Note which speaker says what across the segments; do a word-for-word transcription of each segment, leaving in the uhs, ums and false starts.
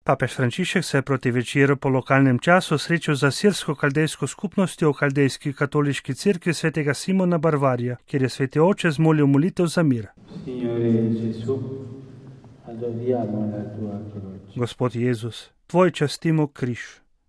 Speaker 1: Papež Frančišek se je proti večeru po lokalnem času srečal z asirsko-kaldejsko skupnostjo v Kaldejski katoliški cerkvi svetega Simona Barvarja, kjer je sveti oče zmolil molitev za mir. Gospod Jezus, tvoj častimo križ,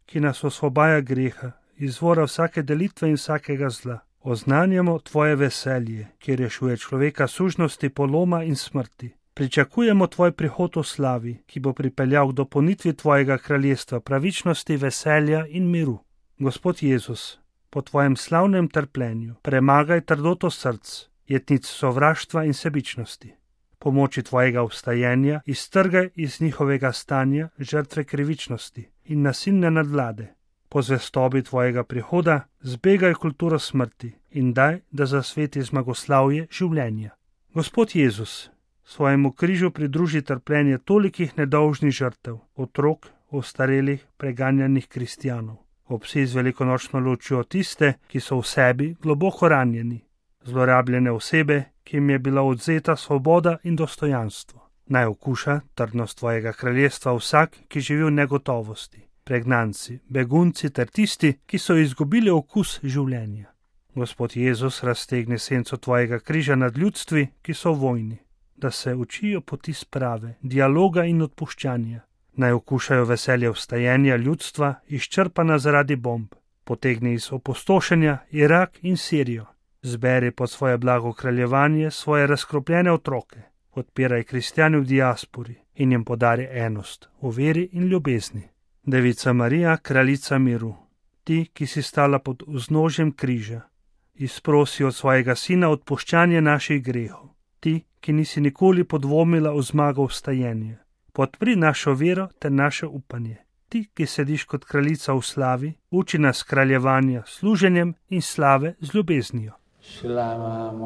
Speaker 1: ki nas osvobaja greha, izvora vsake delitve in vsakega zla. Oznanjamo tvoje veselje, ki rešuje človeka sužnosti, poloma in smrti. Pričakujemo tvoj prihod v slavi, ki bo pripeljal k dopolnitvi tvojega kraljestva, pravičnosti, veselja in miru. Gospod Jezus, po tvojem slavnem trpljenju premagaj trdoto src, jetnic sovraštva in sebičnosti. Pomoči tvojega vstajenja iztrgaj iz njihovega stanja žrtve krivičnosti in nasilne nadvlade. Po zvestobi tvojega prihoda zbegaj kulturo smrti in daj, da zasveti zmagoslavje življenja. Gospod Jezus, svojemu križu pridruži trpljenje tolikih nedolžnih žrtev, otrok, ostarelih, preganjanih kristjanov. Obsi z velikonočno lučjo tiste, ki so v sebi globoko ranjeni, zlorabljene osebe, ki jim je bila odzeta svoboda in dostojanstvo. Naj okuša trdnost tvojega kraljestva vsak, ki živi v negotovosti, pregnanci, begunci ter tisti, ki so izgubili okus življenja. Gospod Jezus, raztegni senco tvojega križa nad ljudstvi, ki so v vojni, da se učijo poti sprave, dialoga in odpuščanja. Naj okušajo veselje vstajenja ljudstva, izčrpana zaradi bomb. Potegni iz opustošenja Irak in Sirijo. Zberi pod svoje blago kraljevanje svoje razkropljene otroke. Podpiraj kristjane v diaspori in jim podari enost v veri in ljubezni. Devica Marija, kraljica miru, ti, ki si stala pod vznožjem križa, izprosi od svojega sina odpuščanje naših grehov. Ti, ki nisi nikoli podvomila v zmago vstajenja, podpri našo vero ter naše upanje. Ti, ki sediš kot kraljica v slavi, uči nas kraljevanja s služenjem in slave z ljubeznijo.
Speaker 2: Shalom.